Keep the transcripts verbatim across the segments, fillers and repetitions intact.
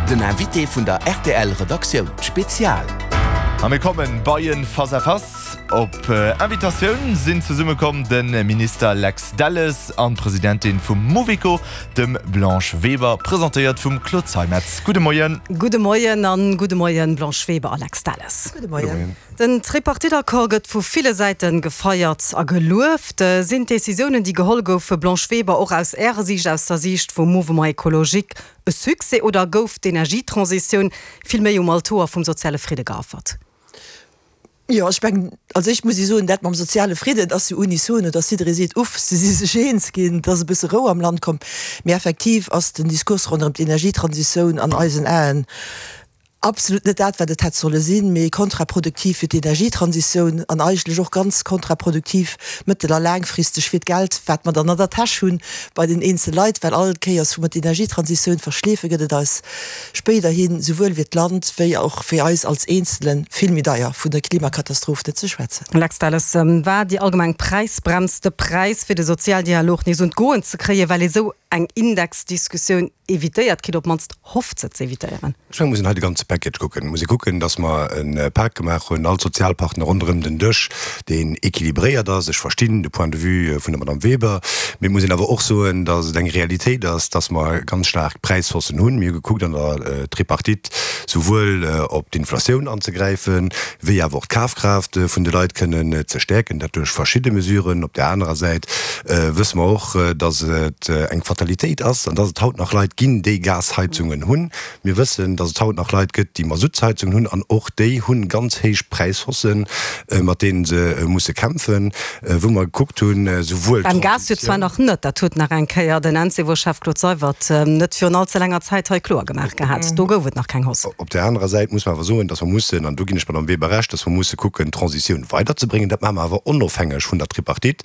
Den Invité vun der R T L Redaktioun Spezial. A mir kommen bei en Face-à-Face. Op Invitatioun sinn zesummekomm de Minister Lex Delles an d'Presidentin vum Mouveco, dem Blanche Weber, presentéiert vum Claude Zeimetz. Gudde Moien. Gudde Moien an gudde Moien Blanche Weber a Lex Delles. Gudde Moien. Den Tripartite-Accord gëtt vu ville Säite gefeiert a gelueft. Sinn d'Decisiounen, déi geholl goufe, Blanche Weber, och aus Ärer Siicht, aus der Siicht vum Mouvement écologique, e Succès oder gouf d'Energietransitioun vill méi um Altoer vum soziale Fridde geaffert? Jo, ech mengen, als éischt muss ech soen, dat mam soziale Fridden ass jo unisono, datt jidderee seet, Uff, se si sech eens ginn, et ass e bësse Rou am Land komm. Mee effektiv ass den Diskurs ronderëm d'Energietransitioun an eisen Aen absolut net dat, wat et hätt solle sinn, mee kontraproduktiv fir d'Energietransitioun an eigentlech och ganz kontraproduktiv mëttel a laangfristeg fir d'Geld, wat mer dann an der Täsch hunn bei den eenzel Leit, well all Kéiers, wou mer d'Energietransitioun verschleefen, gëtt et eis spéiderhin, souwuel fir d'Land wéi och fir eis als Eenzelen, vill méi deier, vun der Klimakatastroph net ze schwätzen. Lex Delles, War déi allgemeng Präisbrems de Präis, fir de Sozialdialog nees un d'Goen ze kréien, well ee sou eng Indexdiskussioun evitéiert kritt, op d'mannst hofft se ze evitéieren? Ech mengen, et muss een hei de ganze Package kucken. Et muss ee kucken, datt mer e Pak gemaach hunn, all d'Sozialpartner ronderëm den Dësch, deen équilibréiert ass. Ech verstinn de Point de vue vun der Madame Weber, mee et muss een awer och soen, datt et eng Realitéit ass, datt mer ganz staark Präishaussen hunn. Mir hu gekuckt an der Tripartite souwuel op d'Inflatioun anzegräifen, wéi awer och d'Kafkraaft vun de Leit kënnen ze stäerken, dat duerch verschidde Mesuren. Op där anerer Säit wësse mer och, datt et eng Fatalitéit ass an datt et haut nach Leit ginn, déi Gasheizungen hunn. Mir wëssen, datt et haut nach Leit gëtt, déi Masuttsheizungen hunn, an och déi hunn ganz héich Präishaussen, mat deene se musse kämpfen, wou mer gekuckt hunn, souwuel Beim Gas jo zwar d'Transitioun. nach net, dat huet nach eng Kéier den Encevo-Chef Claude Seywert net virun all ze laanger Zäit hei kloer gemaach gehat. Do gouf et nach keng Hausse. Op där anerer Säit muss mer awer soen, datt mer mussen, an do ginn ech Madame Weber Recht, datt mer musse kucken, d'Transitioun weiderzebréngen. Dat maache mer awer onofhängeg vun der Tripartite,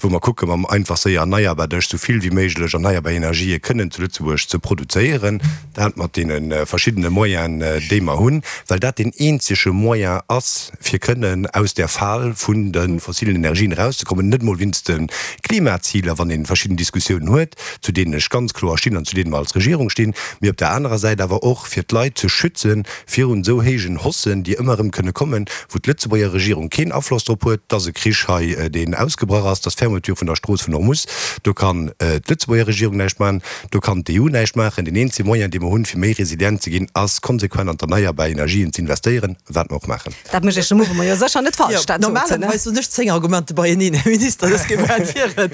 wou mer kucke mam einfach séier erneierbar Dësch esou vill wéi méiglech erneierbar Energië kënnen zu Lëtzebuerg ze produzéieren, dat mat deene verschiddene Moyenen, déi mer hunn, well dat deen eenzege Moyen ass, fir kënnen aus där Fal vun de fossilen Energien erauszekommen, net emol wéinst de Klimaziler, wann ee verschidden Diskussiounen huet, zu deenen ech ganz kloer stinn an zu deene mer als Regierung stinn, mee op där anerer Säit awer och fir d'Leit ze schütze virun esou héijen Haussen, déi ëmmer erëm kënne kommen, wou d'Lëtzebuerger Regierung keen Afloss drop huet, dass e Krich hei, deen ausgebrach ass, dass d'Fermeture vun der Strooss vun Hormus, do kann d'Lëtzebuerger Regierung näischt maachen, do kann d'E U näischt maachen. Deen eenzege Moyen, dee mer hunn, fir méi resilient ze ginn, ass konsequent an d'erneierbar Energien ze investéieren, wat mer och maachen. Dat mécht Iech de Mouvement jo sécher net falsch, dat sot se, ne? Normalerweis hunn ech zéng Argumente beieneen, Här Minister, dës Kéier war et hiren.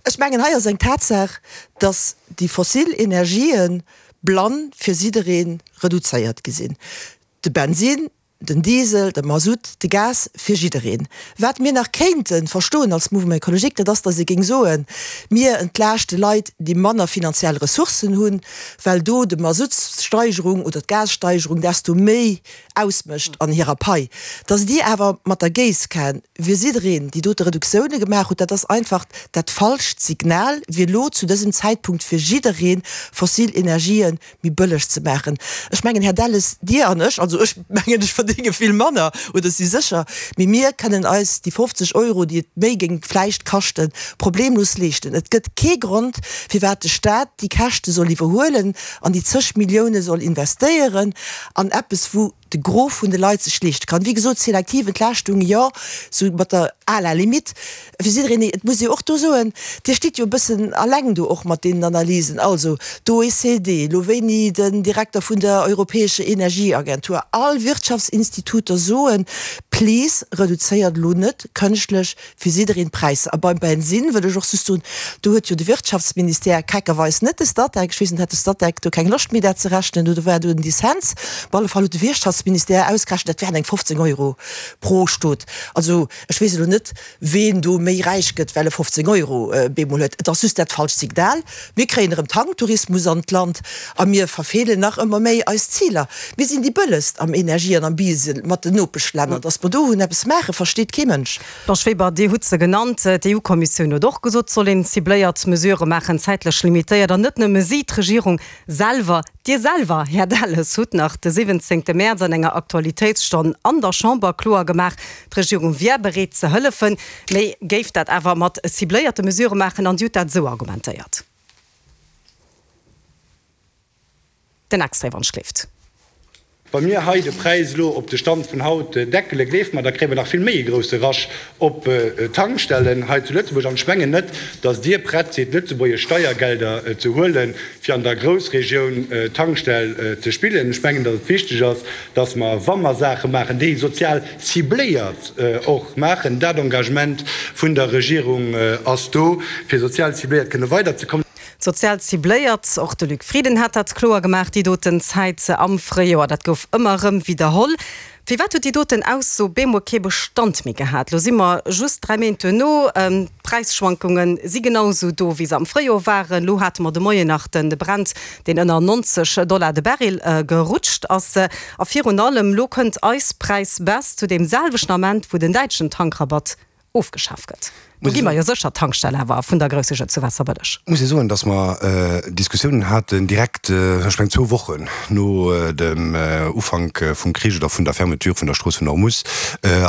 Ech mengen, hei ass eng Tatsaach, dass déi fossil Energië blann fir jidderee reduzéiert gi sinn. De Bensin, den Diesel, de Masutt, de Gas, fir jiddereen. Wat mir nach kéinte verstoen als Mouvement écologique, dat ass, datt ee géing soen, mir entlaaschte Leit, déi manner finanziell Ressourcen hunn, well do de Masuttssteigerung oder d'Gassteigerung desto méi ausmécht an hirer Pai. Datt Dir awer mat der Géisskan fir jiddereen déi dote Reduktioune gemaach hutt, dat ass einfach dat falscht Signal, fir elo zu dësem Zäitpunkt fir jidderee fossil Energië méi bëlleg ze maachen. Ech mengen, Här Delles, Dir an ech, also ech mengen, ech verdénge vill manner, oder si sécher, mee mir kënnen eis déi fofzeg Euro, déi et méi géing vläicht kaschten, problemlos leeschten. Et gëtt kee Grond, firwat de Stat déi Käschte soll iwwerhuelen an déi zeg Millioune soll investéieren an eppes, wou de Gros vun de Leit sech leeschte kann. Wéi gesot, selektiv Entlaaschtung, jo, sou mat der à la limite fir jiddereen. Et muss ee och do soen, Dir stitt jo e bëssen alleng do och mat deenen Analysen. Also d'O E C D, elo wéini den Direkter vun der Europäescher Energieagentur, all Wirtschaftsinstituter soen, Please, reduzéiert elo net kënschtlech fir jiddereen d'Präisser. A beim Bensinn wëll ech och just soen, do huet jo de Wirtschaftsministère keckerweis net de Statec, ech weess net, hat de Statec do keng Loscht méi dat ze rechnen oder war do en Dissens? Op alle Fall huet de Wirtschaftsministère ausgerechent, dat wären eng fofzéng Euro pro Stot. Also ech weess elo net, ween do méi räich gëtt, well e fofzéng Euro bemol huet. Et ass just dat falscht Signal. Mir kréien erëm Tanktourismus an d'Land a mir verfeelen nach ëmmer méi eis Ziler. Mir sinn déi bëllegst am Energie an am Diesel mat den Nopeschlänner. Datt mer do hunn eppes maachen, versteet kee Mënsch. Blanche Weber, Dir hutt se genannt. D'E U-Kommissioun huet och gesot, et soll een cibléiert Mesurë maachen, zäitlech limitéiert. An net nëmme si, d'Regierung selwer, Dir selwer, Här Delles, hutt nach de siwwenzéngte Mäerz an enger Aktualitéitsstonn an der Chamber kloer gemaach, d'Regierung wier bereet ze hëllefen, mee géif dat awer mat cibléierte Mesurë maachen. An Dir hutt dat esou argumentéiert. Den Extrait, wann schléift. Wa mir hei de Präis elo op de Stand vun haut deckelen, gleeft mer, da kréie mer nach vill méi e grousse Rush op d'Tankstellen hei zu Lëtzebuerg. An ech mengen net, datt Dir prett sidd, lëtzebuergesch Steiergelder ze huelen, fir an der Groussregioun Tankstell ze spillen. Ech mengen, datt et wichteg ass, datt mer, wa mer Saache maachen, déi sozial cibléiert och maachen. Dat Engagement vun der Regierung ass do, fir sozial cibléiert kënne weiderzekommen. Sozial cibléiert, och de Luc Frieden hat dat kloer gemaach déi doten Zäit am Fréijoer. Dat gouf ëmmer erëm widderholl. Firwat huet déi doten Ausso bemol kee Bestand méi gehat? Lo si mer just dräi Méint duerno, d'Präisschwankunge si genau esou do, wéi se am Fréijoer waren. Lo hate mer de Moien nach de Brent, deen ënner neunzeg Dollar de Baril gerutscht ass. A virun allem, lo kënnt eis Präisbaisse zu deem selwechten Ament, wou den däitschen Tankrabatt ofgeschaf gëtt. Do gi mer jo sécher d'Tankstell awer vun der Groussregioun zu Waasserbëlleg. Muss ee soen, datt mer Diskussiounen haten direkt, ech mengen zwou Wochen no dem Ufank vum Krich oder vun der Fermeture vun der Strooss vun Hormus,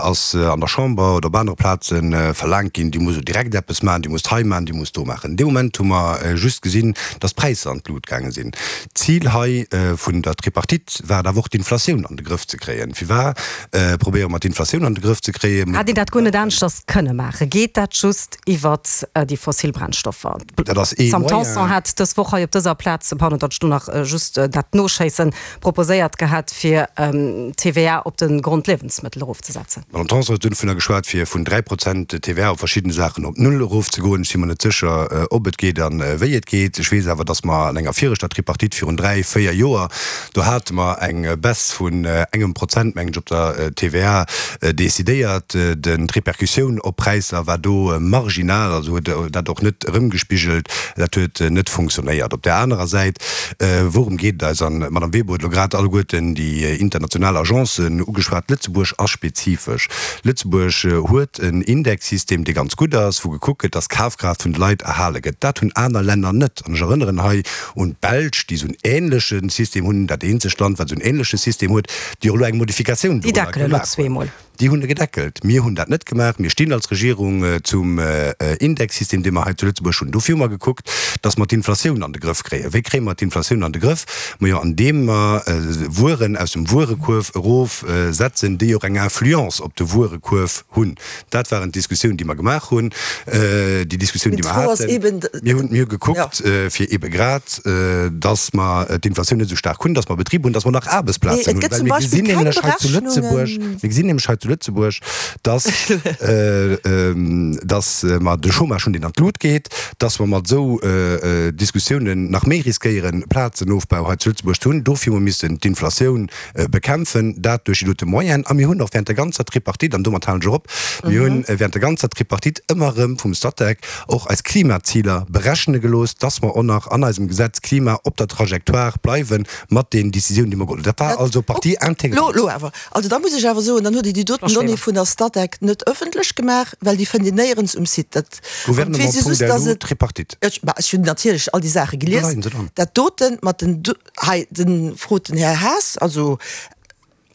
ass an der Chamber oder op anere Plaze verlaangt ginn, Dir musst elo direkt eppes maachen, Dir musst hei maachen, Dir musst do maachen. Dee Moment hu mer just gesinn, datt d'Präisser an d'Lut gaange sinn. D'Zil hei vun der Tripartite war et awer och, d'Inflatioun an de Grëff ze kréien. Firwat probéiere mer d'Inflatioun an de Grëff ze kréien? Hätt een dat guer net aneschters kënne maachen? Geet dat just iwwert déi fossil Brennstoffer? Dat ass ee D'Sam Moyen. Tanson hat dës Woch hei op dëser Plaz, pardon, datt ech do nach just dat noschéissen, proposéiert gehat, fir d'T V A op de Grondliewensmëttel erofzesetzen. D'Madame Tanson huet dovunner geschwat, fir vun dräi Prozent T V A op verschidden Saachen op null erofzegoen. Ech si mer net sécher, ob et geet a wéi et geet. Ech weess awer, datt mer an enger viregter Tripartite virun dräi, véier Joer, do hate mer eng Baisse vun engem Prozent, mengen ech, op der T V A decidéiert. Den D'Repercussioun op Präisser war do marginal, also huet dat och net erëmgespigelt. Dat huet net funktionéiert. Op där anerer Säit, wourëm geet et eis? An d'Madame Weber huet elo grad alleguerten déi international Agencen ugeschwat. Lëtzebuerg ass spezifesch. Lëtzebuerg huet en Indexsystem, dee ganz gutt ass, wou gekuckt gëtt, dass d'Kafkraaft vun de Leit erhale gëtt. Dat hunn aner Länner net. An ech erënneren hei un d'Belsch, déi esou en änleche System hunn, dat eenzegt Land, wat esou en änleche System huet, déi och elo eng Modifikatioun Déi dorunner deckelen elo gemaach hunn. zweemol. Déi hunn e gedeckelt. Mir hunn dat net gemaach. Mir stinn als Regierung zum Indexsystem, dee mer hei zu Lëtzebuerg hunn. Dofir hu mer gekuckt, dass mer d'Inflatioun an de Grëff kréien. Wéi kréie mer d'Inflatioun an de Grëff? Majo, andeem mer Wueren aus dem Wuerekuerf erofsetzen, déi och eng Influence op de Wuerekuerf hunn. Dat waren d'Diskussioun, déi mer gemaach hunn, déi Diskussioun, déi mer haten. Mir hunn, mir hu gekuckt, fir ebe grad, dass mer d'Inflatioun net esou staark hunn, dass mer Betriber hunn, dass mer nach Aarbechtsplazen hunn. Well mir gesinn nämlech hei zu Lëtzebuerg, mir gesinn nämlech hei zu Lëtzebuerg, dass, dass mer de Chômage hunn, deen an d'Lut geet, dass mer mat esou Diskussiounen nach méi riskéieren, Plazenofbau hei zu Lëtzebuerg ze hunn. Dofir hu mer missen d'Inflatioun bekämpfen, dat duerch déi dote Moyenen. A mir hunn och während der ganzer Tripartite, an domat halen ech och op, mir hunn während der ganzer Tripartite ëmmer erëm vum Statec och eis Klimaziler berechne gelooss, dass mer och nach an eisem Gesetz Klima op der Trajectoire bleiwe mat den Décisiounen, déi mer geholl hunn. Dat war also Partie intégrante. Elo awer, also da muss ech awer soen, dann hutt Dir déi doten Donnée vun der Statec net ëffentlech gemaach, well déi fënnt een néierens um Site. Dat, an et weess ee just, dass Gouvernement punkt L U et, Tripartite. Ech, bah, ech hunn natierlech all déi Saache Do gelies. leien se dran. Dat doten mat den, hei, den, frot den Här Haas, also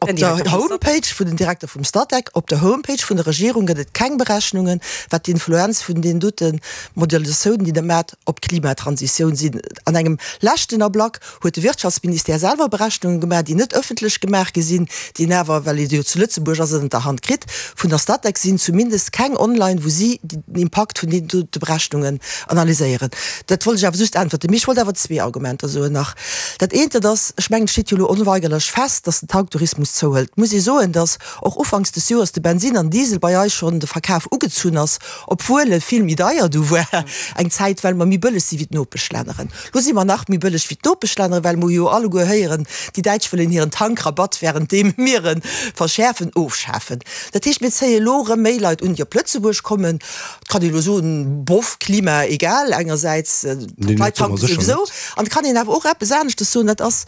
op Den der Direkter vum Statec. Homepage vun den Direkter vum Statec, op der Homepage vun der Regierung gëtt et keng Berechnungen, wat d'Influenz vun deenen dote Modelisatiounen, déi Der maacht, op d'Klimatransitioun sinn. An engem leschten Ablack huet de Wirtschaftsministère selwer Berechnungen gemaach, déi net ëffentlech gemaach gi sinn, déi een awer, well ee se jo zu Lëtzebuerg ass, ënnert der Hand kritt. Vun der Statec sinn zumindest keng online, wou si den Impakt vun deenen dote Berechnungen analyséieren. Dat wollt ech awer just äntwerten. Mee ech wollt awer zwee Argumenter soen nach. Dat eent, dat ass, ech mengen, et steet jo elo onweigerlech fest, dass den Tanktourismus zouhëlt. Et muss ee soen, dass och ufanks des Joers de Bensin an Diesel bei eis schonn de Verkaf ugezunn ass, obwuel e vill méi deier du war eng Zäit, well mer méi bëlleg si wéi d'Nopeschlänneren. Lo si mer nach méi bëlleg wéi d'Nopeschlänneren, well mer jo alleguer héieren, déi Däitsch wëllen hiren Tankrabatt, währenddeem mir e verschäerfen, ofschafen. Dat heescht, mir zéie lo erëm méi Leit un, déi op Lëtzebuerg kommen. Et kann ee lo soen, boff, Klima egal, engersäits, d'Leit tanke souwisou. An et kann een awer och eppes aneschtes soen, dat ass,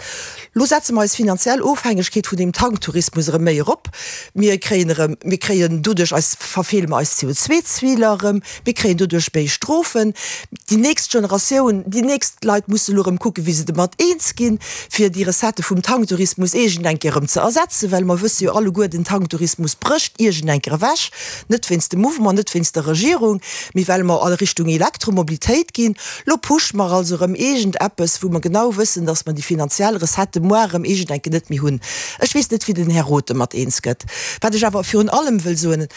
lo setze mer eis finanziell Ofhängegkeet vun deem Tank Tanktourismus erëm méi erop, mir kréien erëm, mir kréien doduerch eis, verfeele mer eis C O zwei Ziler erëm, mir kréien doduerch méi Strofen. Déi nächst Generatioun, déi nächst Leit musse elo erëm kucken, wéi se domat eens ginn, fir déi Recettë vum Tanktourismus iergend eng Kéier erëm ze ersetzen, well mer wësse jo alleguer, den Tanktourismus brécht iergend eng Kéier ewech, net wéinst dem Mouvement, net wéinst der Regierung, mee well mer a Richtung Elektromobilitéit ginn. Lo pushe mer also erëm iergend eppes, wou mer genau wëssen, dass mer déi finanziell Recettë moar erëm iergend eng Kéier net méi hunn. Ech weess net, wéi den Här Roth domat eens gëtt. Wat ech awer virun allem wëll soen,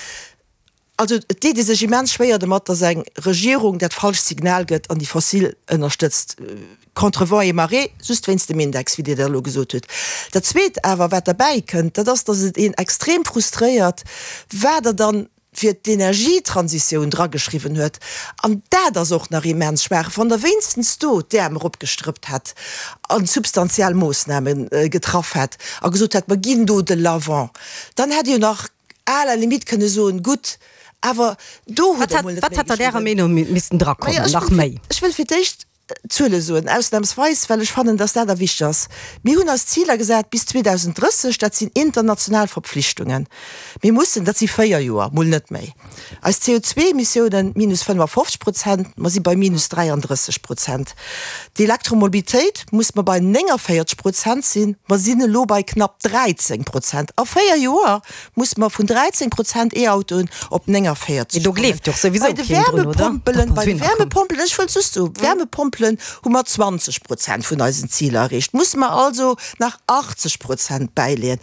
Also et deet ee sech immens schwéier domat, datt eng Regierung dat falscht Signal gëtt an déi fossil ënnerstëtzt, contre vents et marées, just wéinst dem Index, wéi Dir dat elo gesot hutt. Dat Zweet awer, wat derbäi kënnt, dat ass, datt et een extrem frustréiert, wat Der dann fir d'Energietransitioun drageschriwwen huet. An dat ass och nach immens schwaach. Wann Der wéinstens do d'Äerm eropgestrëppt hätt a substantiell Moossname getraff hätt a gesot hätt, mer ginn do de l'avant, dann hätt ee jo nach à la limite kënne soen, gutt, awer do hutt Der emol net Wat méi hätt an Ärer geschriwwen. Meenung missten drakommen, Majo, ech nach wëll fir, méi? ech wëll fir d'éischt Zuele soen, ausnamsweis, well ech fannen, dass dat a wichteg ass. Mir hunn eis Ziler gesat bis zweedausendrësseg, dat sinn international Verpflichtungen. Mir mussen, dat si véier Joer, mol net méi, eis C O zwei Emissiounen minus fënnefafofzeg Prozent, mer si bei minus dräiandrësseg Prozent. D'Elektromobilitéit muss mer bei néngavéierzeg Prozent sinn, mer sinn elo bei knapp dräizéng Prozent. A véier Joer muss mer vun dräizéng Prozent E-Autoen op néngavéierzeg Mee do kommen. gleeft doch souwisou Bei de keen drun, oder? Wärmepompelen, Datt bei mer de dohinner kommen. Wärmepompelen, ech wëll just soen, Wärmepompelen hu mer zwanzeg Prozent vun eisen Ziler erreecht, musse mer also nach achtzeg Prozent bäileeën.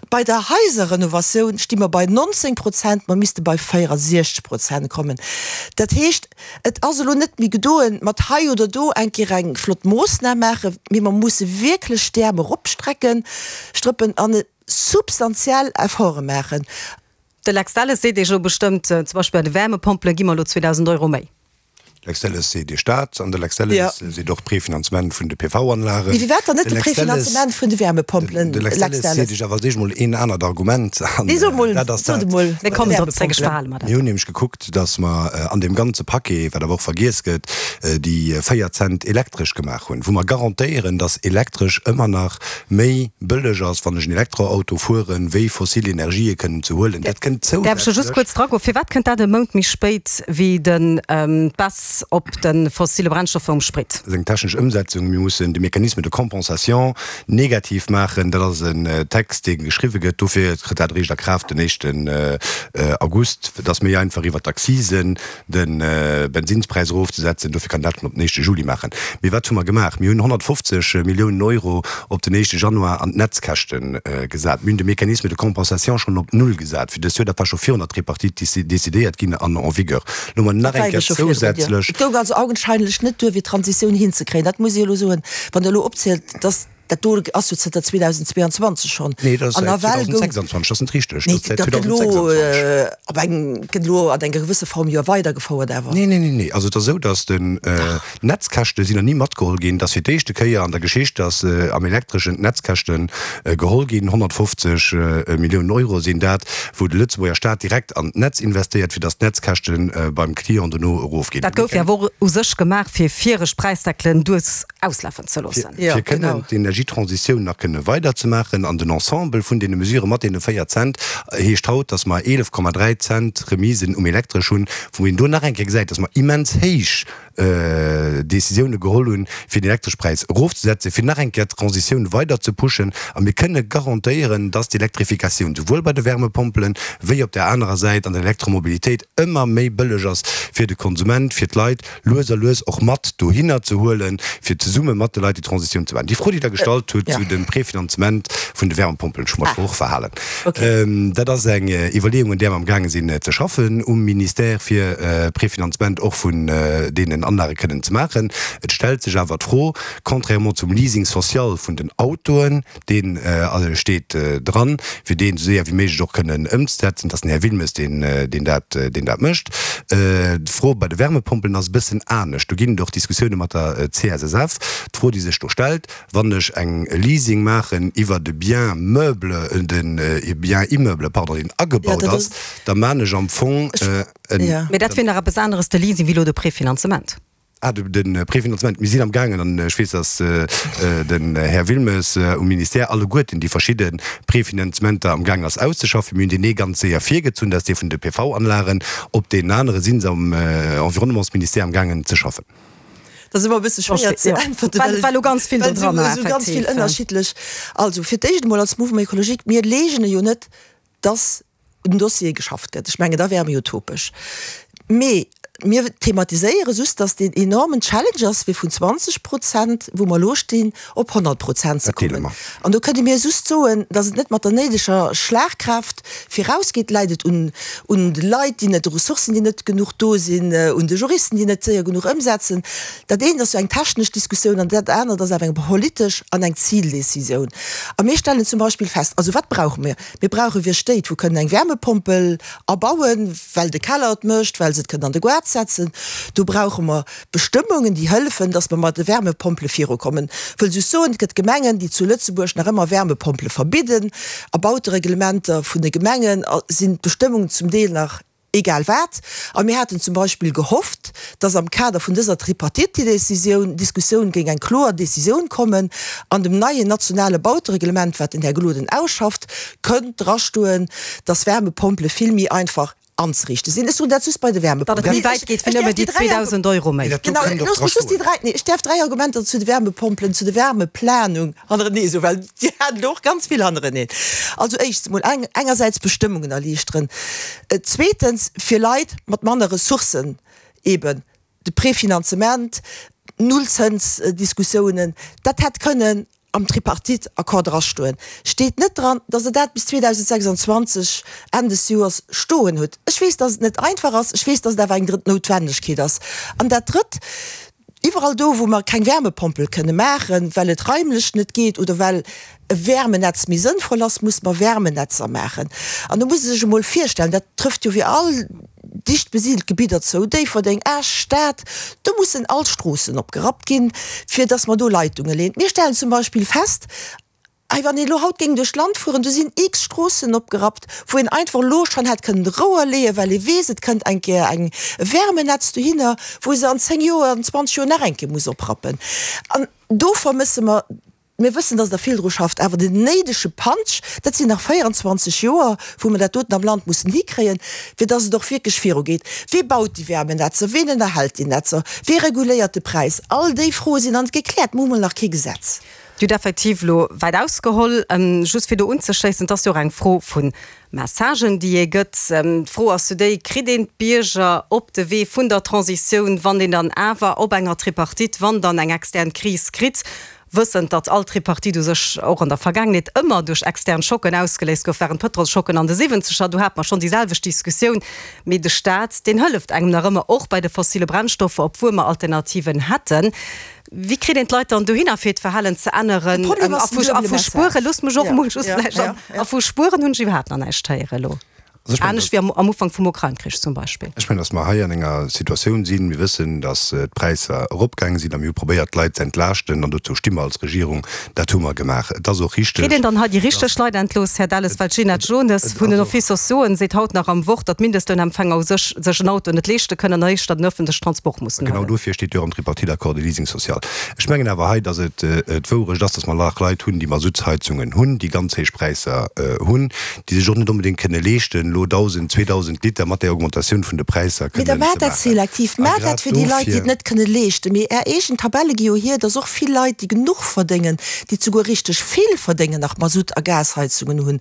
Bei der Haiserrenovatioun sti mer bei nonzéng Prozent, mer misste bei véierasiechzeg Prozent kommen. Dat heescht, et ass elo net méi gedoen mat hei oder do eng Kéier eng flott Moossnam maachen, mee mer musse wierklech d'Äerm eropstrecken, strëppen an substantiell Efforte maachen. De Lex Delles seet Iech elo bestëmmt, zum Beispill bei de Wärmepompele gi mer elo zweedausend Euro méi. Lex Delles seet Iech dat, an de Lex Delles seet och d'Prefinanzement vun de P V-Anlagen. Mee firwat dann net De de Lex Delles, Prefinanzement vun de Wärmepompelen, de Lex Lex Delles seet Delles? Iech awer als éischt emol een anert Argument, an Nee, so emol, dat ass sot dat. emol, Mir bei de kommen drop zréck, ech Wärmepompelen. verhale mer dat. Mir hunn nämlech gekuckt, datt mer an deem ganze Paquet, wat awer och vergiess gëtt, déi véier Cent elektresch gemaach hunn, wou mer garantéieren, datt elektresch ëmmer nach méi bëlleg ass, wann ech en Elektroauto fueren, wéi fossil Energië kënnen ze huelen. Dat kënnt Däerf ech just zousätzlech. kuerz dragoen? Firwat kënnt dat e Mount méi spéit wéi den d'Baisse op de fossile Brennstoffer um Sprit? Dat ass eng technesch Ëmsetzung. Mir mussen de Mécanisme de compensation negativ maachen. Dat ass en Text, dee geschriwwe gëtt. Dofir trëtt dat eréischt a Kraaft den éischten August. Et ass méi einfach, iwwer d'Accisen de Bensinnspräis erofzesetzen. Dofir kann een dat schonn op den éischte Juli maachen. Mee wat hu mer gemaach? Mir hunn honnertfofzeg Milliounen Euro op den éischte Januar an d'Netzkäschte gesat. Mir hunn de Mécanisme de compensation schonn op null gesat fir dëst Joer. Dat war scho virun der Tripartite decidéiert ginn an en vigueur. Lo hu mer nach Dat war eng ebe Kéier scho virdrun, jo. zousätzlech. Et goung also augenscheinlech net duer, fir d'Transitioun hinzekréien. Dat muss ech elo soen. Wann Der elo opzielt, dass dat do ass jo zënter zweedausendzweeanzwanzeg schonn. Nee, dat ass An säit nawell goung. zweedausendsechsanzwanzeg, dat ass net richteg. Nee, Dat ass säit dat gëtt elo zweedausendsechsanzwanzeg. op eng, gëtt elo an enger gewësse Form jo weidergefouert awer. Nee, nee, nee, nee. Also et ass esou, dass den d'Netzkäschte sinn nach ni matgeholl ginn. Dat ass fir d'éischte Kéier an der Geschicht, dass am Elektreschen d'Netzkäschte geholl ginn. honnertfofzeg Milliounen Euro sinn dat, wou de Lëtzebuerger Staat direkt an d'Netz investéiert, fir dass d'Netzkäschte beim Client dono erofginn. Dat gouf jo awer och u sech gemaach, fir viregt Präisdeckelen duerch auslafen ze loossen. Fir kënnen d'Energietransitioun nach kënne weiderzemaachen. An den Ensemble vun deene Mesurë mat deene véier Cent heescht haut, dass mer eelef Komma dräi Cent Remisen um Elektresch hunn, wou een do nach eng Kéier gesäit, dass mer immens héich Decisioune geholl hunn, fir den Elektreschpräis erofzesetzen, fir nach eng Kéier d'Transitioun weider ze pushen. A mir kënne garantéieren, dass d'Elektrifikatioun souwuel bei de Wärmepompelen wéi op där anerer Säit an der Elektromobilitéit ëmmer méi bëlleg ass fir de Konsument, fir d'Leit lues a lues och mat dohinner ze huelen, fir zesumme mat de Leit déi Transitioun ze maachen. Déi Fro, déi Der gestallt hutt zu dem Prefinanzement vun de Wärmepompelen, ech hu mer d'Fro och verhalen, dat ass eng Iwwerleeung, un där mer amgaange sinn ze schaffen um Ministère, fir Prefinanzement och vun deenen Anlage kënnen ze maachen. Et stellt sech awer d'Fro, contrairement zum Leasing social vun den Autoen, dee steet dran, fir deen esou séier wéi méiglech och kënnen ëmzesetzen, dat ass den Här Wilmes, deen dat, deen dat mécht. D'Fro bei de Wärmepompelen ass e bëssen anescht. Do ginn et och Diskussioune mat der C S S F. D'Fro, déi sech do stellt, Wann ech eng Leasing maachen iwwert e Bien meuble, de Bien immeuble, pardon, deen agebaut ass, da maan ech am Fong en. Mee dat wier nach eppes aneres, de Leasing, wéi elo de Prefinanzement. Ah, de Prefinanzement, mir sinn am gaangen, an ech weess, dass den Här Wilmes um Ministère alleguerten déi verschidde Prefinanzementer am gaangen ass auszeschaffen. Mir hunn deen ee ganz séier virgezunn, dat ass dee vun de P V-Anlagen. Op deenen anere si se am Environnementsministère am gaangen ze schaffen. Dat ass ëmmer e bësse schwéier ze äntwerten, well well elo ganz vill do dran war, esou ganz vill effektiv. Ënnerschiddlech. Also fir d'éischt emol als Mouvement écologique, mir leegene jo net, dass un Dossiere geschafft gëtt. Ech mengen, da wäre mir utopesch. Mee mir thematiséiere just, dass deen enormen Challenge ass, fir vun zwanzeg Prozent, wou mer elo stinn, op honnert Prozent ze Dat deele kommen. mer. An do kënne mir just soen, dass et net mat der néideger Schlagkraaft virausgeet. Läit et un, un de Leit, déi net, de Ressourcen, déi net genuch do sinn, un de Juristen, déi net séier genuch ëmsetzen? Dat eent ass jo eng technesch Diskussioun an dat anert ass awer eng politesch an eng Zildecisioun. A mir stellen zum Beispill fest, also wat brauche mir? Mir brauche fir Stéit, wou kënnen eng Wärmepompel abauen, well de Keller et mécht, well se et kënnen an de Goart setzen. Do brauche mer Bestëmmungen, déi hëllefen, dass mer mat de Wärmepompele virukommen. Wëll just soen, et gëtt Gemengen, déi zu Lëtzebuerg nach ëmmer Wärmepompele verbidden. A Bautereglementer vun de Gemengen sinn d'Bestëmmungen zum Deel nach egal wat. A mir haten zum Beispill gehofft, dass am Kader vun dëser Tripartite-Decisioun, Diskussioun géing eng kloer Decisioun kommen. An dem neien nationale Bautereglement, wat den Här Gloden ausschafft, kënnt drastoen, dass Wärmepompele vill méi einfach anzeriichte sinn. Ech soen dat just bei de Datt et Wärmepompelen. méi wäit geet wéi Ech nëmme däerf déi déi dräi zweedausend Euro méi. Mee dat do Genau, kënnt och looss mech just déi drastoen. dräi, nee, ech däerf dräi Argumenter zu de Wärmepompelen, zu de Wärmeplanung hannerenee soen, well Dir hat elo och ganz vill hannereneen. Also éischtens emol eng, engersäits Bestëmmungen erliichteren, zweetens fir Leit mat manner Ressourcen eben de Prefinanzement, Nullzënsdiskussiounen, dat hätt kënnen am Tripartite-Accord drastoen. Steet net dran, datt Der dat bis zweedausendsechsundzwanzeg Enn des Joers stoen hutt. Ech weess, datt et net einfach ass, ech weess, datt et awer eng drëtt Noutwendegkeet ass. An dat Drëtt, Iwwerall do, wou mer keng Wärmepompel kënne maachen, well et raimlech net geet oder well e Wärmenetz méi sënnvoll ass, musse mer Wärmenetzer maachen. An do muss ee sech emol virstellen, dat trëfft jo fir all dicht besidelt Gebidder zou, Déifferdeng, Esch, Stad, do mussen all Stroossen opgerappt ginn, fir dass mer do Leitunge leeën. Mir stellen zum Beispill fest, Ei, wann een elo haut géing duerch d'Land fueren, do sinn x Stroossen opgerappt, wou een einfach elo schonn hätt kënnen Rouer leeën, well ee weess, et kënnt eng Kéier eng e Wärmenetz dohinner, wou ee se an zéng Joer, an zwanzeg Joer nach eng Kéier muss oprappen. An do vermësse mer, mir wëssen, dass Der vill dru schafft, awer den néidege Punch, dat sinn nach véierundzwanzeg Joer, wou mer dat doten am Land mussen hikréien, fir dass et och wierklech virugeet. Wee baut déi Wärmenetzer? Ween ënnerhält déi Netzer? Wee reguléiert de Präis? All déi Froe sinn nach net gekläert. Mir hu mol nach kee Gesetz. Dir hutt effektiv elo wäit ausgeholl. Just fir do unzeschléissen, et ass jo och eng Fro vu Messagen, déi ee gëtt. D'Fro ass jo déi, Kritt een d'Bierger op de Wee vun der Transitioun, wann een dann awer op enger Tripartite, wann dann eng extern Kris kritt, wëssend, datt all Tripartite u sech och an der Vergaangenheet ëmmer duerch extern Schocken ausgeléist gouf, waren d'Pëtrolsschocken an de Siwwenzeger, do hat mer schonn déi selwecht Diskussioun, mee de Staat, deen hëlleft engem nach ëmmer, och bei de fossile Brennstoffer, obwuel mer Alternativen hätten. Wéi kritt een d'Leit dann dohinner, fir hiert Verhalen ze De änneren? Problem A ass den vu, a duebele vu Spuere, Message. loosst mech och Ja, emol just ja, vläicht ja, an, ja. a vu Spueren hunn ech iwwerhaapt nach näischt héiere elo. Also ech mengen, Anescht wéi am, am Ufank vum Ukrain-Krich zum Beispill. Ech mengen, datt mer hei an enger Situatioun sinn, mir wëssen, datt d'Präisser eropgaange sinn a mir hu probéiert, d'Leit ze entlaaschten an dozou sti mer als Regierung. Dat hu mer gemaach. Et ass och richteg, Kritt een dann hei déi richteg Leit entlooss, Här Delles? Well d'Ginette Jones vun den Offices sociaux seet haut nach am Wort, datt d'Mindestlounempfänger u sech sech en Auto net leeschte kënnen an éischter den öffentlechen Transport mussen Genau huelen. dofir steet jo am Tripartite-Accord de Leasing social. Ech mengen awer hei, datt et d'Wourecht ass, datt mer nach Leit hunn, déi Masuttsheizungen hunn, déi ganz héich Präisser hunn, déi sech och net onbedéngt kënne leeschten, elo dausend, zweedausend Liter mat där Augmentatioun vun de Präisser Mee da kënnen maacht ze dat maachen. selektiv, A maacht dat grad fir déi Leit, déi et dofir. net kënne leeschten. Mee Är eegen Tabelle gi jo hier, dass och vill Leit, déi genuch verdéngen, déi souguer richteg vill verdéngen, nach Masutt a Gasheizungen hunn.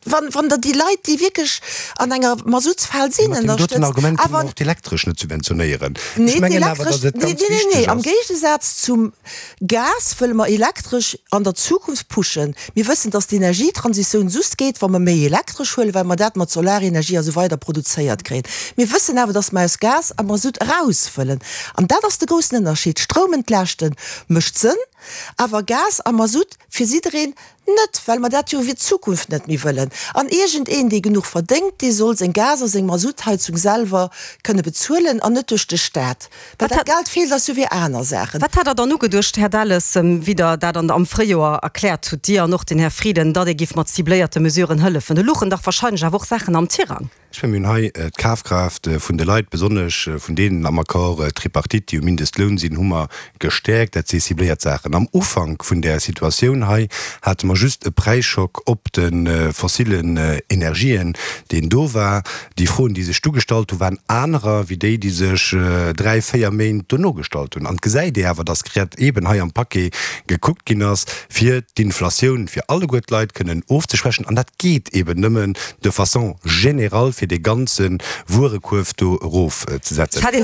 Wann, wann Der déi Leit, déi wierklech an enger Masuttsfal Mee sinn, mat deem doten ënnerstëtzt, Argument kënne mer awer. och d'Elektresch net subventionéieren. Ech Nee, mengen awer, d'Elektresch, dass et nee, ganz nee, nee, wichteg nee, am ass. Géigesaz zum Gas wëlle mer Elektresch an der Zukunft pushen. Mir wëssen, dass d'Energietransitioun just geet, wa mer méi Elektresch huelen, well mer dat mat Solarenergie a sou weider produzéiert kréien. Mir wëssen awer, dass mer aus Gas a Masutt eraus wëllen. An dat ass de groussen Ënnerscheed. Stroum entlaaschten mécht Sënn, awer Gas a Masutt fir jiddereen net, well mer dat jo fir d'Zukunft net méi wëllen. An iergendeen, dee genuch verdéngt, dee soll seng Gas a seng Masuttheizung selwer kënne bezuelen an net duerch de Staat. Well Wat dat hat Geld feelt eis jo fir aner Saachen. Wat hat Der dann ugeduecht, Här Delles, wéi Der dat an am Fréijoer erkläert hutt, Dir an och den Här Frieden, datt ee giff mat cibléierte Mesuren hëllefen? Do luchen dach wahrscheinlech awer och Saachen am Tirang. Ech mengen, mir hunn hei d'Kafkraaft vun de Leit, besonnesch vun deenen am Accord tripartite, déi um Mindestloun sinn, hu mer gestäerkt. Dat si cibléiert Saachen. Am Ufank vun där Situatioun hei hate mer just e Präisschock op de fossillen Energien, deen do war. Déi Froen, déi sech du gestallt hu waren anerer wéi déi, déi sech dräi, véier Méint dono gestallt hunn. An et gesäit ee awer, dass grad eeben hei am Paquet gekuckt ginn ass, fir d'Inflatioun fir alleguer d'Leit kënnen ofzeschwächen. An dat geet eeben nëmmen de façon générale, fir dee ganze Wuerekuerf do erofzesetzen. Hätt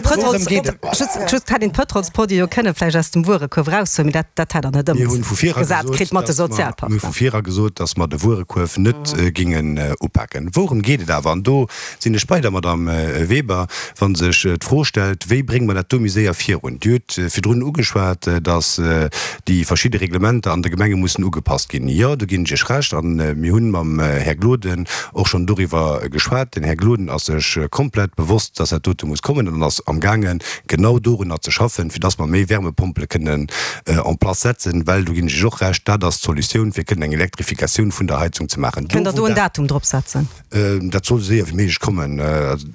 een d'Pëtrolsproduite jo kënne vläicht aus dem Wuerekuerf eraushuelen, mee dat dat hätt Der net ëmgesat kritt mat de Sozialpartner. Mir hu vu vir era gesot, datt mer de Wuerekuerf net géingen upaken. Wourëm geet et awer? An do sinn ech bei der Madame Weber, wa sech d'Fro stellt, Wéi brénge mer dat do méi séier virun? Dir hutt virdrun ugeschwat, datt déi verschidde Reglementer an de Gemenge mussen ugepasst ginn. Jo, do ginn ech Iech Recht. A mir hunn mam Här Gloden och schonn doriwwer geschwat. Den Här Gloden ass sech komplett bewosst, dass dat dote muss kommen an ass amgaangen, genau dorunner ze schaffen, fir dass mer méi Wärmepompele kënnen en place setzen, well, do ginn ech Iech och Recht, dat ass d'Solutioun, fir kënnen eng Elektrifikatioun vun der Heizung ze maachen. Kënnt Der do en Datum drop setzen? Dat soll esou séier wéi méiglech kommen.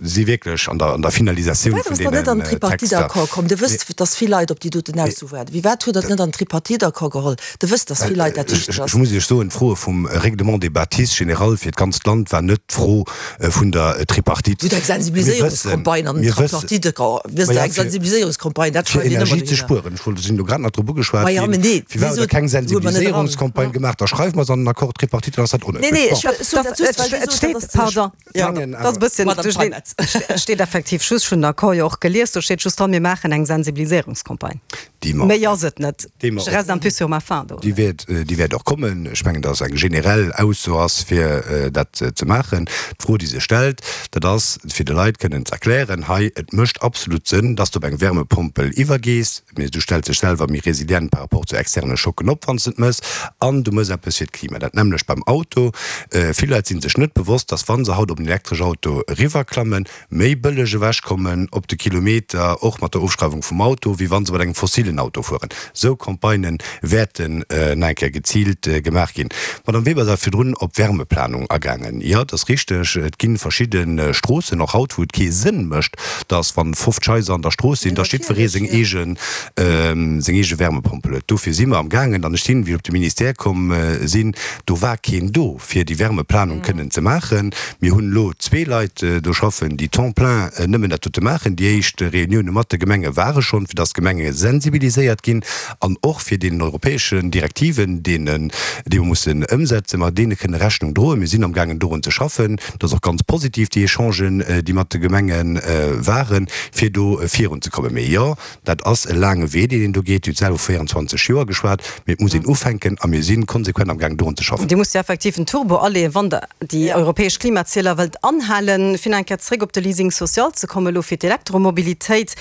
Si wierklech an der, an der Finalisatioun Firwat vun ass dat net deenen an den Texter. Tripartite-Accord komm? Dir wësst, dass vill Leit op déi doten Ausso waarden. Firwat hutt Der et net an den Tripartite-Accord geholl? Der wësst, dass vill Leit dat wichteg Ech ass. muss Iech soen, d'Froe vum Règlement des bâtisses général fir d'ganzt Land war net d'Fro vun der Tripartite. Hutt eng Sensibiliséierungscampagne an den Tripartite-Accord. Wësst Der, eng Sensibiliséierungscampagne, dat Fir schreift een ëmmer Energie ze dohinner. spueren. Ech wollt, sinn elo grad nach drop ugeschwat Ma ja, ginn. mä nee, Firwat hutt Der wéi keng sot, huet mer net eran. Sensibiliséierungscampagne gemaach? Da schreiwe mer se an den Accord tripartite, dann ass dat Nee, nee, onnoutwenneg. ech soen dat just, well Dir Et sot, steet, dat ass pardon, Ja, Mengen dat ass e awer. bësschen Madame duercherneen. Steinmetz. Et steet effektiv just, ech hunn den Accord jo och gelies, do steet just dran, mir maachen eng Sensibiliséierungscampagne. Déi mer, Méi ass et net. déi mer Je reste un peu sur ma faim do. Déi wäert, déi wäert och kommen. Ech mengen, dass eng generell Ausso ass, fir dat ze maachen. D'Fro, déi sech stellt, dat ass, fir de Leit kënnen ze erklären, hei, et mécht absolut Sënn, dass de op eng Wärmepompel iwwergees, mee du stells dech selwer méi resilient par rapport zu externe Schocken op, wann s de et méchs, an du méchs eppes fir d'Klima. Dat nämmlecht beim Auto. Vill Leit si sech net bewosst, dass, wa se haut op en elektresch Auto eriwwerklammen, méi bëlleg ewechkommen op de Kilometer, och mat der Ofschreiwung vum Auto, wéi wa se mat engem fossilen Auto fueren. Esou Campagnë wäerten nach eng Kéier geziilt gemaach ginn. D'Madame Weber ass virdrun op d'Wärmeplanung agaangen. Jo, et ass richteg, et gi verschidde Stroossen, och haut, wou et kee Sënn mécht, dass, wa fofzeg Haiser an der Strooss sinn, dass jiddweree seng eege seng eege Wärmepompel huet. Dofir si mer amgaangen, an ech sinn, wéi ech op de Ministère komm sinn, do war keen do, fir déi Wärmeplanung kënnen ze maachen. Mir hunn elo zwee Leit do schaffen, déi temps plein nëmmen dat dote maachen. Déi éischt Reunioune mat de Gemenge ware schonn, fir dass d'Gemenge sensibiliséiert ginn an och fir deenen europäeschen Direktiven, deenen, déi mer mussen ëmsetzen, mer deene kënne Rechnung droen. Mir sinn amgaangen dorun ze schaffen. Dat ass och ganz positiv, déi Echangen, déi mat de Gemenge waren, fir do virunzekommen. Mee jo, dat ass e laange Wee, deen een do geet. Dir hutt selwer vu véierundzwanzeg Joer geschwat. Mee et muss een ufänken a mir si konsequent amgaangen dorun ze schaffen. Dir musst jo effektiv en Turbo aleeën, wann Der déi europäesch Klimazieler wëllt anhalen. Fir nach eng Kéier zréck op de Leasing social ze kommen, elo fir d'Elektromobilitéit,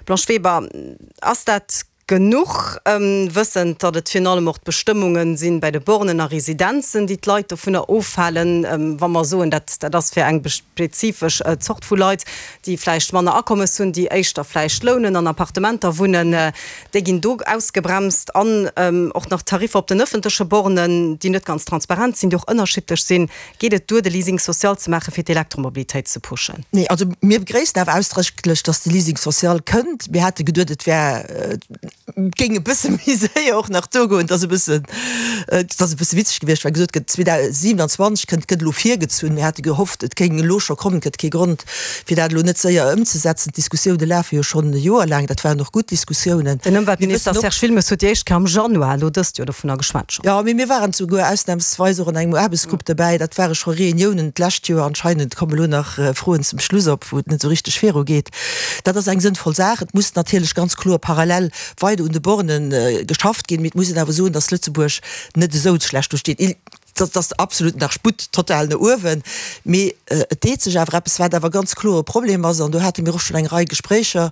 Blanche Weber, ass dat genuch, wëssend, datt et virun allem och d'Bestëmmunge sinn bei de Bornen a Residenzen, déi d'Leit dovunner ofhalen, wa mer soen, dat dat ass fir eng spezifesch Zort vu Leit, déi vläicht manner Akommes hunn, déi éischter vläicht lounen, an Appartementer wunnen, déi ginn do ausgebremst an och nach d'Tariffer op den ëffentleche Bornen, déi net ganz transparent sinn, déi och ënnerschiddlech sinn. Geet et duer, de Leasing social ze maachen, fir d'Elektromobilitéit ze pushen? Nee, also mir begréissen awer ausdrécklech, datt de Leasing social kënnt. Mir hate geduet, et wär, géing e bësse méi séier och nach do goen. Et ass e bëssen, et ass e bësse witzeg gewiescht, well gesot gëtt, zweedausendsiewenanzwanzeg kënnt, gëtt elo virgezunn. Mir hate gehofft, et géing elo scho kommen. Et gëtt kee Grond, fir dat elo net séier ëmzesetzen. D'Diskussioune lafe jo schonn e Joer laang. Dat waren och gutt Diskussiounen. Den Ëmweltminister Serge Wilmes huet déi éischt Kéier am Januar elo dëst Joer dovunner geschwat schonn. Jo, mee mir waren souguer ausnahmsweis och an engem Aarbechtsgrupp derbäi. Dat ware scho Reuniounen d'lescht Joer. Anscheinend komme elo nach Froen zum Schluss op, wou et net esou richteg virugeet. Dat ass eng sënnvoll Saach. Et muss natierlech ganz kloer parallel weider un de Bornen geschafft ginn. Mee et muss een awer soen, dass Lëtzebuerg net esou schlecht do steet. Dat ass absolut nach Sputt total no uewen. Mee et deet sech awer eppes, wat awer ganz kloer e Problem ass, an do hate mir och schonn eng Rei Gespréicher,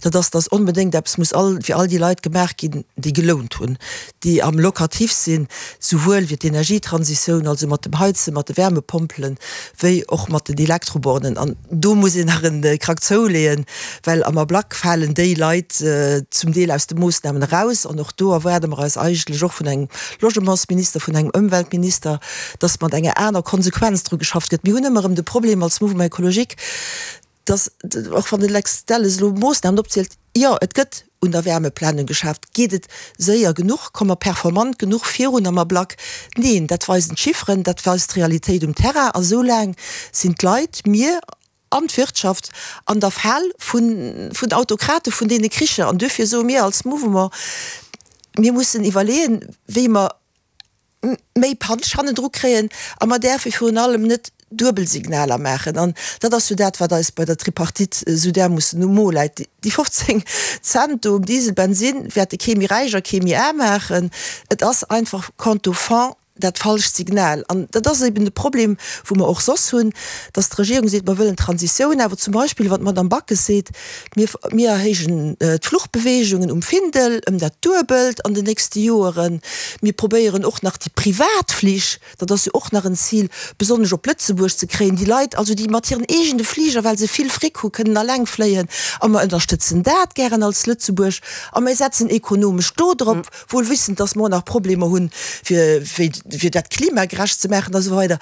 dat ass, dass onbedéngt eppes muss all, fir all déi Leit gemaach ginn, déi gelount hunn, déi am Locatif sinn, souwuel fir d'Energietransitioun, also mat dem Heizen, mat de Wärmepompelen, wéi och mat den Elektrobornen. An do muss een nach e Krack zouleeën, well am Ablack falen déi Leit zum Deel aus de Moossnamen eraus. An och do erwaarde mer eis eigentlech och vun engem Logementsminister, vun engem Ëmweltminister, Minister, dass mat enger aner Konsequenz dru geschafft gëtt. Mir hunn ëmmer erëm de Problem als Mouvement écologique, dass, och wann de Lex Delles elo Moossnamen opzielt, jo, et gëtt un der Wärmeplanung geschafft. Geet et séier genuch? Komme mer performant genuch virun am Ablack? Neen, dat weisen d'Chifferen, dat weist d'Realitéit um Terrain. A soulaang sinn d'Leit, mir an d'Wirtschaft an der Fal vun vun Autokrate vun deene Kricher. An duerfir soe mir als Mouvement, Mir mussen iwwerleeën, wéi mer méi Punch hannendru kréien a mer däerfe virun allem net duebel Signaler maachen. An dat ass jo dat, wat eis bei der Tripartite esou därmoossen um Mo läit. Déi fofzéng Cent do um Diesel, Bensin wäerte kee méi räich a kee méi aarm maachen. Et ass einfach quant au fond dat falscht Signal. An dat ass eben de Problem, wou mer och soss hunn, dass d'Regierung seet, mer wëllen Transitioun, awer zum Beispill, wann d'Madame Backes seet, mir, mir erhéijen d'Fluchbeweegungen um Findel ëm dat Duebelt an den nächste Joeren, mir probéieren och nach déi Privatflich, dat ass jo och nach en Zil, besonnesch op Lëtzebuerg ze kréien, déi Leit also, déi mat hiren eegene Fliger, well se vill Fric hu, kënnen eleng fléien, a mer ënnerstëtzen dat gären als Lëtzebuerg a mir setzen ekonomesch do drop, wuel wissend, dass mer och nach Problemer hunn, fir, fir dat klimagerecht ze maachen a sou weider,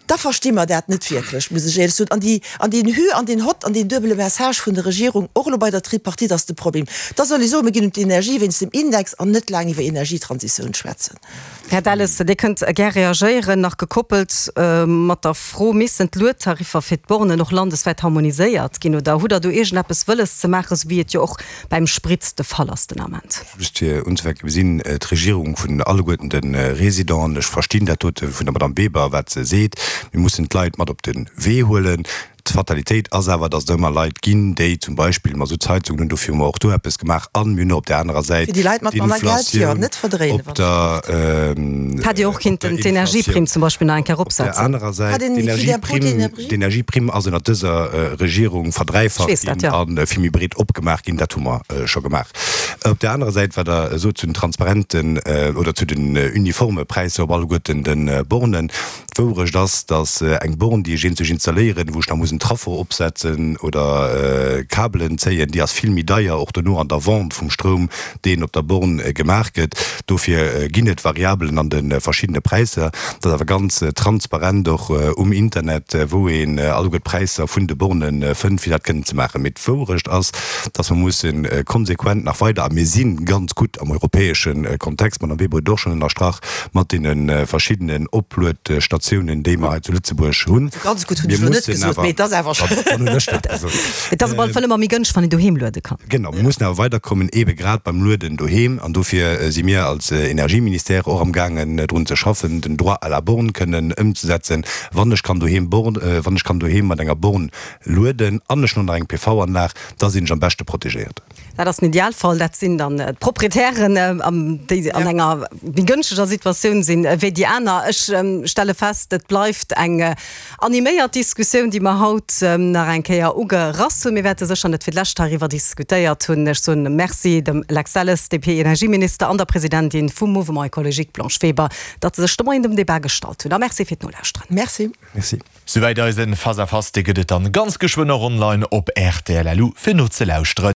da versti mer dat net wierklech, muss ech éierlech soen. An déi, an deen Hü an deen Hott an deen duebele Message vun der Regierung, och elo bei der Tripartite, ass de Problem. Da soll ee soen, mir ginn un d'Energie wéinst dem Index an net laang iwwer Energietransitioun schwätzen. Här Delles, Dir kënnt gär reagéieren, nach gekoppelt mat der Fro, Missten d'Luedtariffer fir d'Bornen och landeswäit harmoniséiert ginn oder hutt Der do iergendeppes wëlles ze maachen, esou wéi et jo och beim Sprit de Fall ass den Ament? Just fir unzefänken, Mir sinn d'Regierung vun alleguerten de Résidenten. Ech verstinn dat dote vun der Madame Weber, wat se seet. Mir mussen d'Leit mat op de Wee huelen. D'Fatalitéit ass awer, datt et ëmmer Leit ginn, déi zum Beispill Masuttsheizungen hunn. Dofir hu mer och do eppes gemaach. A mir hunn och op där anerer Säit Fir déi Leit mat manner Geld, jo, d'Inflatioun net verdréinen, op wann der, Hätt Dir och op der kinnten d'Energieprimm Inflatioun zum Beispill nach eng Kéier op der eropsetzen. anerer Säit Hat een Crédit d'impôt d'Energieprimm, d'énergie? d'Energieprimm ass ënnert dëser Regierung Ech verdräifacht weess dat, ginn jo. a vill méi breet opgemaach ginn. Dat hu mer scho gemaach. Op där anerer Säit, wat Der sot zu den transparenten oder zu den uniforme Präisser op alleguerten de Bornen, D'Wourecht ass, datt eng Born, déi ech eenzeg installéieren, wou ech nach muss en Traffo opsetzen oder Kabelen zéien, déi ass vill méi deier, och dono an der Vente vum Stroum, deen op der Born gemaach gëtt. Dofir ginn et Variabelen an de verschiddene Präisser. Dat ass awer ganz transparent och um Internet, wou een alleguer d'Präisser vun de Borne fënnt, fir dat kënnen ze maachen. Mee d'Wourecht ass, datt mer musse konsequent nach weider, a mir si ganz gutt am europäesche Kontext, d'Madame Weber huet et och schonn ënnerstrach, mat deene verschiddenen Opluetstatiounen, déi mer hei zu Lëtzebuerg hunn. Ganz gutt hunn Mir ech elo net mussen gesot, awer, mee et ass awer dann, dann hunn ech dat gesot. Et ass op alle Fall ëmmer méi gënschteg, wann een doheem luede kann. Genau, mir mussen awer weiderkommen, eebe grad beim Lueden doheem. An dofir si mir als Energieministère och amgaangen, drun ze schaffen, den Droit à la borne kënnen ëmzesetzen. Wann ech kann doheem Born, wann ech kann doheem mat enger Born lueden an ech hunn och nach eng P V-Anlag, da sinn ech am beschte protegéiert. Dat ass den Idealfall. Dat sinn dann d'Proprietären, déi an enger méi gënschteger Situatioun sinn wéi déi aner. Ech stelle fest, et bleift eng animéiert Diskussioun, déi mer haut nach eng Kéier ugerass hunn. Mir wäerte sécher net fir d'lescht heiriwwer diskutéiert hunn. Ech soen Merci dem Lex Delles, D P-Energieminister, an der Presidentin vum Mouvement écologique Blanche Weber, datt se sech de Moien dem Debat gestallt hunn. A Merci fir d'Nolauschteren. Merci. Merci. Souwäit eisen Face à Face. Dee gëtt et dann ganz geschwënn och online op rtl punkt lu fir nozelauschteren.